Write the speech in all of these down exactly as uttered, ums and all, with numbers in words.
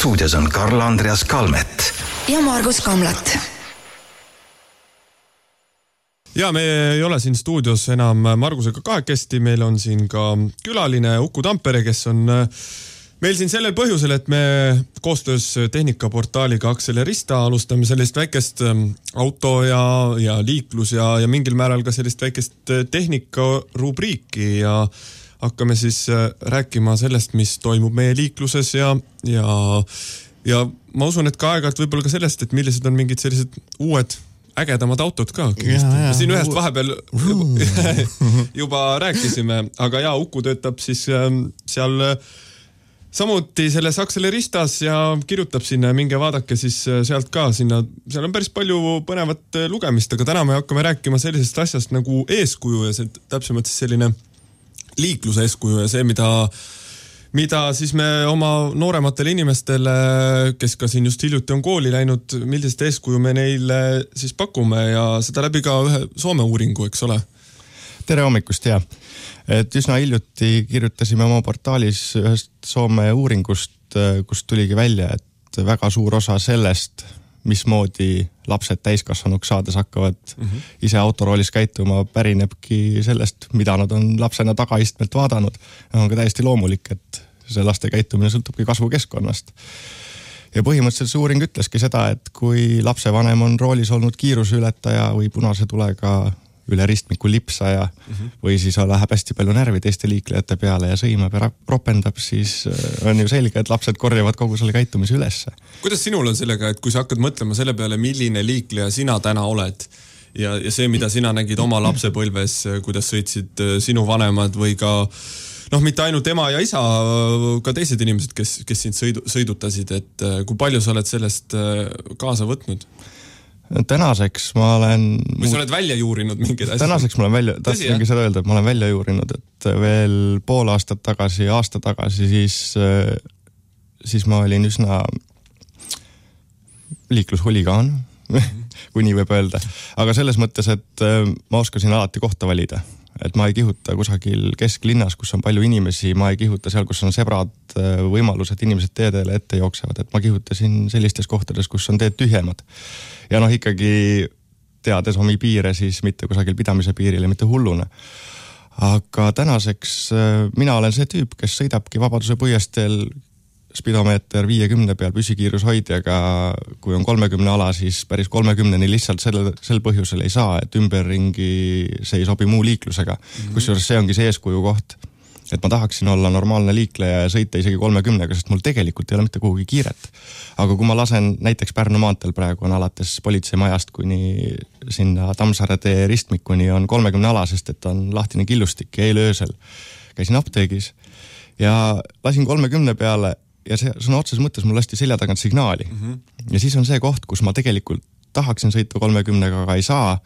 Stuudios on Karl-Andreas Kalmet ja Margus Kamlat. Ja me ei ole siin stuudios enam Margusega kahekesti, meil on siin ka külaline Uku Tampere, kes on meil siin sellel põhjusel, et me koostöös tehnikaportaaliga Akselerista alustame sellist väikest auto ja, ja liiklus ja, ja mingil määral ka sellist väikest tehnikarubriiki ja hakkame siis rääkima sellest, mis toimub meie liikluses ja, ja, ja ma usun, et ka aeg-ajalt võib-olla ka sellest, et millised on mingid sellised uued ägedamad autod ka. Ja, ja. Siin ühest vahepeal juba, juba rääkisime, aga ja Uku töötab siis seal samuti selles Akseleristas ja kirjutab sinna, minge vaadake siis sealt ka sinna. Seal on päris palju põnevat lugemist, aga täna me hakkame rääkima sellisest asjast nagu eeskuju ja see täpsemalt siis selline liikluse eeskuju ja see, mida mida siis me oma noorematele inimestele, kes ka siin just hiljuti on kooli läinud, millisest eeskuju me neile siis pakume ja seda läbi ka ühe Soome uuringu, eks ole? Tere hommikust, ja. Et üsna hiljuti kirjutasime oma portaalis ühest Soome uuringust, kus tuligi välja, et väga suur osa sellest, mismoodi lapsed täiskasvanuks saades hakkavad mm-hmm. ise autoroolis käituma, pärinebki sellest, mida nad on lapsena tagaistmelt vaadanud. On ka täiesti loomulik, et see laste käitumine sõltubki kasvukeskkonnast. Ja põhimõtteliselt see uuring ütleski seda, et kui lapsevanem on roolis olnud kiiruseületaja või punase tulega üle ristmiku lipsaja mm-hmm. või siis läheb hästi palju närvi teiste liiklejate peale ja sõimab ja ropendab, siis on ju selge, et lapsed korjavad kogu selle käitumise ülesse. Kuidas sinul on sellega, et kui sa hakkad mõtlema selle peale, milline liikleja sina täna oled ja, ja see, mida sina nägid oma lapsepõlves, kuidas sõitsid sinu vanemad või ka noh, mitte ainult ema ja isa, ka teised inimesed, kes, kes sind sõidu, sõidutasid, et kui palju sa oled sellest kaasa võtnud? Tänaseks ma olen... Või sa oled välja juurinud mingeid asja? Tänaseks ma olen välja... Tahtsingi seda öelda, et ma olen välja juurinud, et veel pool aastat tagasi, aasta tagasi, siis, siis ma olin üsna liiklushuligaan, kui nii võib öelda. Aga selles mõttes, et ma oskasin alati kohta valida. Et ma ei kihuta kusagil kesklinnas, kus on palju inimesi, ma ei kihuta seal, kus on sebrad võimalused, inimesed teedele ette jooksevad, et ma kihutasin sellistes kohtades, kus on teed tühjemad. Ja noh, ikkagi teades omi piire, siis mitte kusagil pidamise piiril ja mitte hullune. Aga tänaseks mina olen see tüüp, kes sõidabki Vabaduse puiesteel spidomeeter viiekümne peal püsikiirushoidjaga, kui on kolmekümne ala, siis päris kolmekümneni lihtsalt sel, sel põhjusel ei saa, et ümberringi see ei sobi muu liiklusega. Mm-hmm. Kusjuures see ongi see eeskuju koht, et ma tahaksin olla normaalne liikleja ja sõita isegi kolmekümnega, sest mul tegelikult ei ole mitte kuhugi kiiret. Aga kui ma lasen näiteks Pärnu maanteel praegu on alates politseimajast kuni sinna Tammsaare tee ristmikuni on kolmekümne ala, sest et on lahtine killustik ja eile öösel käisin apteegis ja lasin kolmekümne peale ja see sõna otses mõttes mul lasti selja tagant signaali. Mm-hmm. Ja siis on see koht, kus ma tegelikult tahaksin sõita kolmekümnega, aga ei saa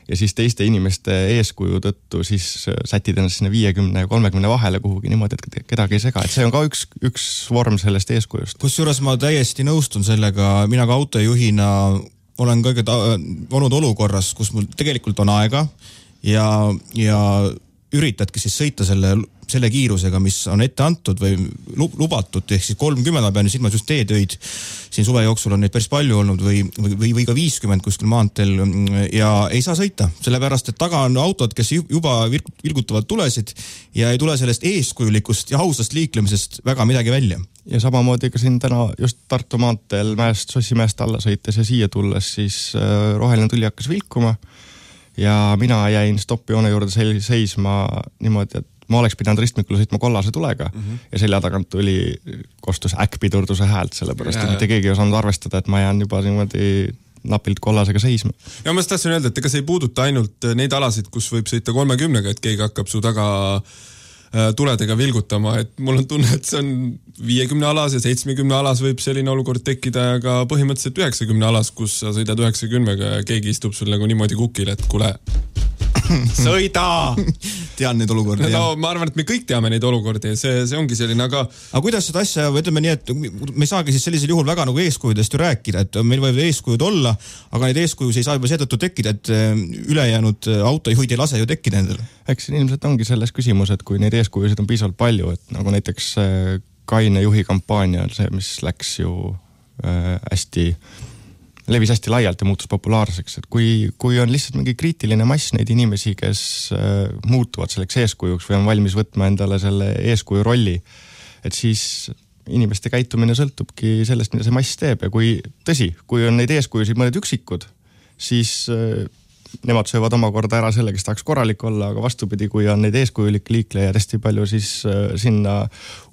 ja siis teiste inimeste eeskuju tõttu siis sätid ennast sinna viiekümne ja kolmekümne vahele kuhugi niimoodi, et kedagi ei sega. Et see on ka üks, üks vorm sellest eeskujust. Kusjuures ma täiesti nõustun sellega, mina ka autojuhina olen kõige ta- olnud olukorras, kus mul tegelikult on aega ja, ja üritadki siis sõita selle selle kiirusega, mis on ette antud või lubatud, ehk siis kolmkümmend, ma pean silmas just teetöid, siin suve jooksul on neid päris palju olnud või, või, või ka viiskümmend kuskil maanteel ja ei saa sõita, sellepärast, et taga on autod, kes juba vilgutavad tulesid ja ei tule sellest eeskujulikust ja ausast liiklemisest väga midagi välja. Ja samamoodi ka siin täna just Tartu maanteel mäest, Sossimäest alla sõites ja siia tulles, siis roheline tuli hakkas vilkuma ja mina jäin stoppjoone juurde seisma niimoodi, et ma oleks pidanud ristmikule sõitma kollase tulega mm-hmm. ja selja tagant tuli kostus äkkpidurduse häält, sellepärast, et mitte keegi ei osanud arvestada, et ma jään juba niimoodi napilt kollasega seisma. Ja ma tahtsin öelda, et ega see ei puuduta ainult neid alasid, kus võib sõita kolmekümnega, et keegi hakkab su taga tuledega vilgutama, et mul on tunne, et see on viiekümne alas ja seitsmekümne alas võib selline olukord tekkida ja ka põhimõtteliselt üheksakümne alas, kus sa sõidad üheksakümnega ja keegi istub sul nagu niimoodi kukil, et kule sõida! Tean neid olukordi. No, ma arvan, et me kõik teame neid olukordi ja see, see ongi selline, aga... Aga kuidas seda asja, ütleme nii, et me ei saagi siis sellisel juhul väga nagu eeskujudest ju rääkida, et meil võib eeskujud olla, aga neid eeskujus ei saa juba seetõttu tekkida, et ülejäänud autojuhid ei lase ju tekkida endale. Eks ilmselt ongi selles küsimus, et kui neid eeskujusid on piisavalt palju, et nagu näiteks kaine juhi kampaania, see, mis läks ju äh, hästi, levis hästi laialt ja muutus populaarseks, et kui, kui on lihtsalt mingi kriitiline mass neid inimesi, kes äh, muutuvad selleks eeskujuks või on valmis võtma endale selle eeskuju rolli, et siis inimeste käitumine sõltubki sellest, mida see mass teeb ja kui tõsi, kui on neid eeskujusid mõned üksikud, siis äh, nemad söövad omakorda ära selle, kes tahaks korralik olla, aga vastupidi, kui on neid eeskujulik liiklejaid hästi palju, siis äh, sinna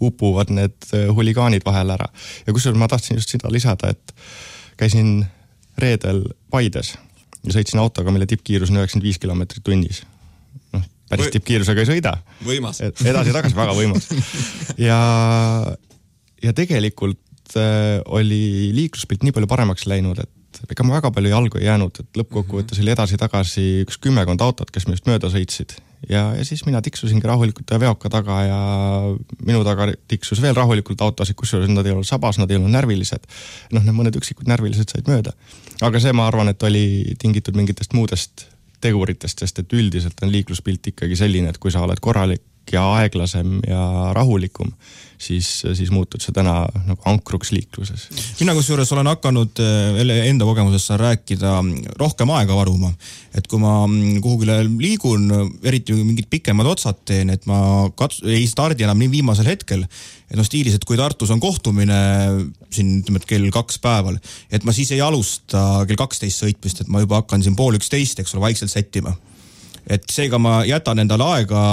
upuvad need äh, huligaanid vahel ära. Ja kusjuures ma tahtsin just seda lisada, et käisin reedel Paides ja sõitsin autoga, mille tippkiirus on üheksakümmend viis kilomeetrit tunnis. Noh, päris Või... tippkiirusega ei sõida. Võimas. Edasi tagasi väga võimas. Ja, ja tegelikult äh, oli liikluspilt nii palju paremaks läinud, et ega ma väga palju jalgu ei jäänud, et lõppkokkuvõttes oli edasi-tagasi üks kümmekond autot, kes minust mööda sõitsid. Ja, ja siis mina tiksusingi rahulikult veoka taga ja minu taga tiksus veel rahulikult autosid, kusjuures nad ei olnud sabas, nad ei olnud närvilised. Noh, need mõned üksikud närvilised said mööda. Aga see, ma arvan, et oli tingitud mingitest muudest teguritest, sest et üldiselt on liikluspilt ikkagi selline, et kui sa oled korralik ja aeglasem ja rahulikum, siis, siis muutud see täna nagu ankruks liikluses. Mina kusjuures olen hakanud enda kogemusest saan rääkida rohkem aega varuma. Et kui ma kuhugile liigun, eriti mingid pikemad otsad teen, et ma kats- ei stardi enam nii viimasel hetkel, et no stiilis, et kui Tartus on kohtumine siin ütleme, kell kaks päeval, et ma siis ei alusta kell kaksteist sõitmist, et ma juba hakkan siin pool üksteist, eks ole, vaikselt sättima. Et seega ma jätan endale aega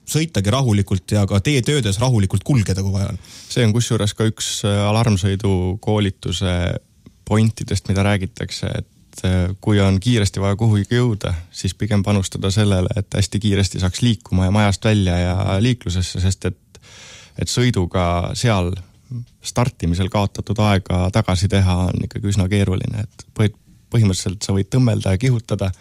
sõitagi rahulikult ja ka teie töödes rahulikult kulgeda, kui vaja on. See on kusjuures ka üks alarmsõidu koolituse pointidest, mida räägitakse, et kui on kiiresti vaja kuhugi jõuda, siis pigem panustada sellele, et hästi kiiresti saaks liikuma ja majast välja ja liiklusesse, sest et, et sõiduga seal startimisel kaotatud aega tagasi teha on ikkagi üsna keeruline, et põhimõtteliselt sa võid tõmmelda ja kihutada,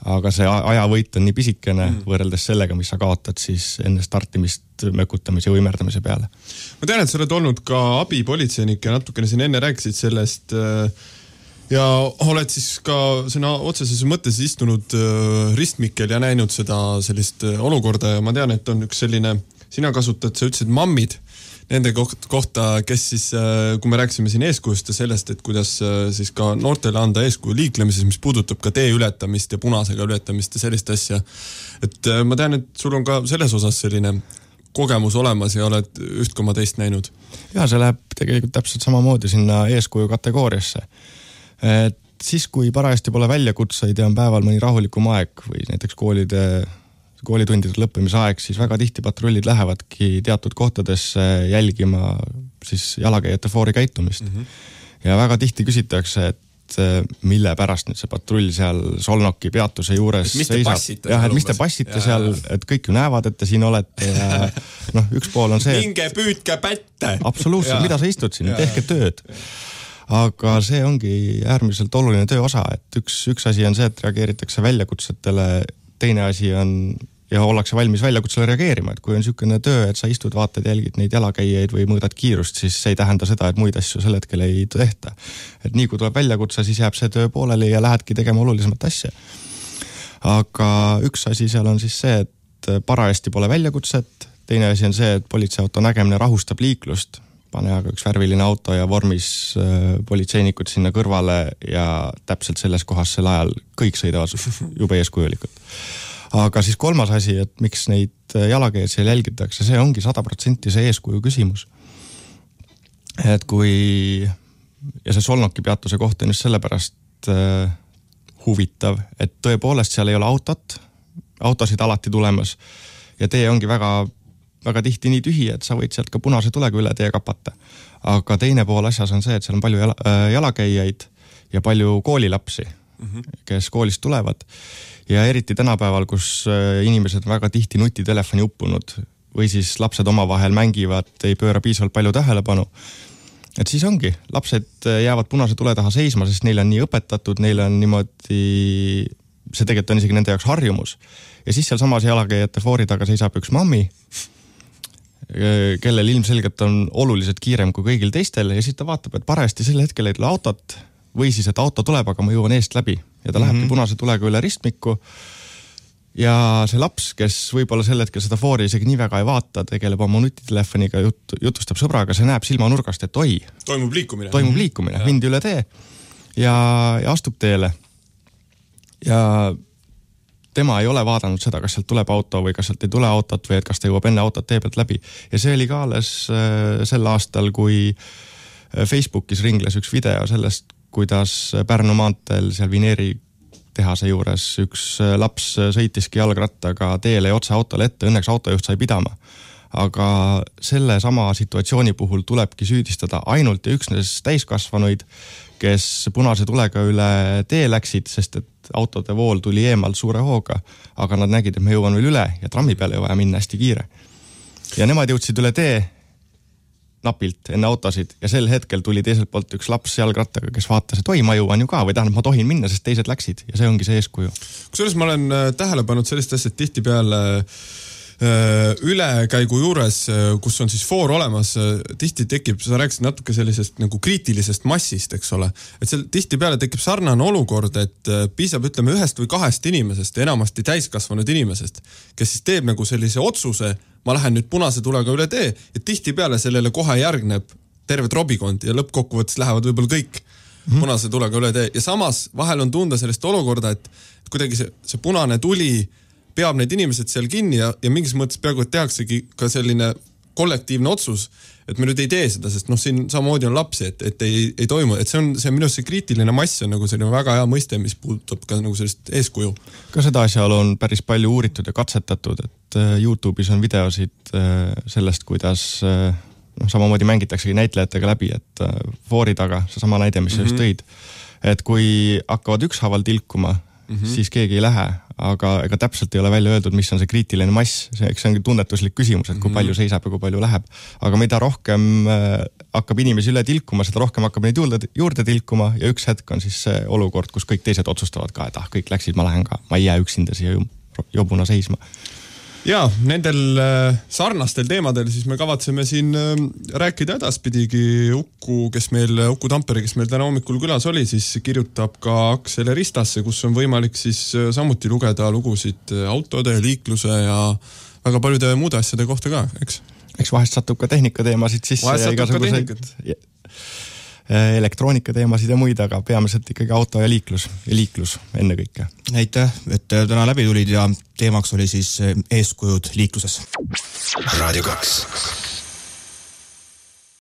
aga see ajavõit on nii pisikene mm. võrreldes sellega, mis sa kaotad siis enne startimist mökutamise ja võimerdamise peale. Ma tean, et sa oled olnud ka abipolitseinik ja natukene siin enne rääkisid sellest ja oled siis ka sõna otseses mõttes istunud ristmikel ja näinud seda sellist olukorda ja ma tean, et on üks selline, sina kasutad, sa ütlesid mammid, nende kohta, kes siis, kui me rääksime siin eeskujust ja sellest, et kuidas siis ka noortele anda eeskuju liiklemises, mis puudutab ka tee ületamist ja punasega ületamist ja sellist asja. Et ma tean, et sul on ka selles osas selline kogemus olemas ja oled üht koma teist näinud. Ja see läheb tegelikult täpselt samamoodi sinna eeskuju kategooriasse. Et siis, kui parajasti pole väljakutseid ja on päeval mõni rahulikum aeg või näiteks koolide koolitundide lõppemise aeg, siis väga tihti patrullid lähevadki teatud kohtadesse jälgima siis jalakäijate foori käitumist. Mm-hmm. Ja väga tihti küsitakse, et mille pärast nüüd see patrull seal Solnoki peatuse juures et seisab. Jah, et mis te passite ja, seal, et kõik ju näevad, et te siin olete ja noh, üks pool on see... Minge püüdke pätte! Absoluutselt, mida sa istud siin, tehke tööd. Aga see ongi äärmiselt oluline töö osa, et üks, üks asi on see, et reageeritakse väljakutsetele, teine asi on ja ollakse valmis väljakutsele reageerima, et kui on niisugune töö, et sa istud, vaatad, jälgid neid jalakäijaid või mõõdad kiirust, siis see ei tähenda seda, et muid asju sel hetkel ei tehta. Et nii kui tuleb väljakutse, siis jääb see töö pooleli ja lähedki tegema olulisemat asja. Aga üks asi seal on siis see, et parajasti pole väljakutset, teine asi on see, et politseiauto nägemine rahustab liiklust, pane aga üks värviline auto ja vormis politseinikud sinna kõrvale ja täpselt selles kohas sel ajal kõik sõidavad jube eeskujulikult. Aga siis kolmas asi, et miks neid jalakäijaid seal jälgitakse, see ongi sada protsenti see eeskuju küsimus. Et kui, ja see Solnoki peatuse koht on just sellepärast äh, huvitav, et tõepoolest seal ei ole autot, autosid alati tulemas ja tee ongi väga, väga tihti nii tühi, et sa võid sealt ka punase tulega üle tee kapata. Aga teine pool asjas on see, et seal on palju jala, äh, jalakäijaid ja palju koolilapsi, mm-hmm. kes koolist tulevad. Ja eriti tänapäeval, kus inimesed väga tihti nutitelefoni uppunud või siis lapsed omavahel mängivad, ei pööra piisavalt palju tähelepanu. Et siis ongi, lapsed jäävad punase tule taha seisma, sest neil on nii õpetatud, neil on niimoodi, see tegelikult on isegi nende jaoks harjumus. Ja siis seal samas jalakäijate foori taga seisab üks mammi, kellel ilmselgelt on oluliselt kiirem kui kõigil teistel ja siis ta vaatab, et parajasti sel hetkel ei tule autot või siis, et auto tuleb, aga ma jõuan eest läbi ja ta lähebki mm-hmm. punase tulega üle ristmiku ja see laps, kes võib-olla sel hetkel seda foori isegi nii väga ei vaata, tegeleb oma nutitelefoniga, jut, jutustab sõbraga, see näeb silmanurgast, et oi. Toimub liikumine. Toimub liikumine, ja. Mindi üle tee ja, ja astub teele. Ja tema ei ole vaadanud seda, kas sealt tuleb auto või kas sealt ei tule autot või et kas ta jõuab enne autot tee pealt läbi. Ja see oli ka alles äh, sel aastal, kui Facebookis ringles üks video sellest, kuidas Pärnu maanteel seal Vineeri tehase juures üks laps sõitiski jalgrattaga teele ja otse autole ette, õnneks autojuht sai pidama. Aga selle sama situatsiooni puhul tulebki süüdistada ainult ja üksnes täiskasvanuid, kes punase tulega üle tee läksid, sest et autode vool tuli eemalt suure hooga, aga nad nägid, et me jõuan veel üle ja trammi peale ei vaja minna hästi kiire. Ja nemad jõudsid üle tee napilt enne autosid ja sel hetkel tuli teiselt poolt üks laps jalgrattaga, kes vaatas, et oi, ma jõuan ju ka või tähendab, ma tohin minna, sest teised läksid ja see ongi see eeskuju. Kusjuures ma olen tähele pannud sellist asja, et tihti peale ülekäigu juures, kus on siis foor olemas, tihti tekib, sa rääkisid natuke sellisest nagu kriitilisest massist, eks ole, et seal tihti peale tekib sarnane olukord, et piisab, ütleme, ühest või kahest inimesest, enamasti täiskasvanud inimesest, kes siis teeb nagu sellise otsuse, ma lähen nüüd punase tulega üle tee ja tihti peale sellele kohe järgneb terve trobikond ja lõppkokkuvõttes lähevad võib-olla kõik mm-hmm. punase tulega üle tee ja samas vahel on tunda sellist olukorda, et kuidagi see, see punane tuli peab need inimesed seal kinni ja, ja mingis mõttes peaaegu, et tehaksegi ka selline kollektiivne otsus, et me nüüd ei tee seda, sest noh, siin samamoodi on lapsi, et, et ei, ei toimu, et see on see minu see kriitiline mass on nagu selline väga hea mõiste, mis puudutab ka nagu sellist eeskuju. Ka seda asjaolu on päris palju uuritud ja katsetatud, et YouTube'is on videosid sellest, kuidas noh, samamoodi mängitaksegi näitlejatega läbi, et foori taga, see sama näide, mis mm-hmm. sa just tõid, et kui hakkavad ükshaaval tilkuma, mm-hmm. siis keegi ei lähe, aga ega täpselt ei ole välja öeldud, mis on see kriitiline mass. See, eks see ongi tunnetuslik küsimus, et kui palju seisab ja kui palju läheb. Aga mida rohkem äh, hakkab inimesi üle tilkuma, seda rohkem hakkab neid juurde, juurde tilkuma ja üks hetk on siis see olukord, kus kõik teised otsustavad ka, et ah, kõik läksid, ma lähen ka, ma ei jää üksinda siia jobuna seisma. Ja, nendel sarnastel teemadel siis me kavatseme siin rääkida edaspidigi. Uku, kes meil, Uku Tampere, kes meil täna hommikul külas oli, siis kirjutab ka Aksele Ristasse, kus on võimalik siis samuti lugeda lugusid autode, liikluse ja väga paljude muude asjade kohta ka, eks? Eks vahest satub ka tehnikateemasid sisse. Vahest satub ka tehnikat. Elektroonika teemasid ja muid, aga peamiselt ikkagi auto ja liiklus ja liiklus enne kõike. Aitäh, et täna läbi tulid ja teemaks oli siis eeskujud liikluses. Radio kaks.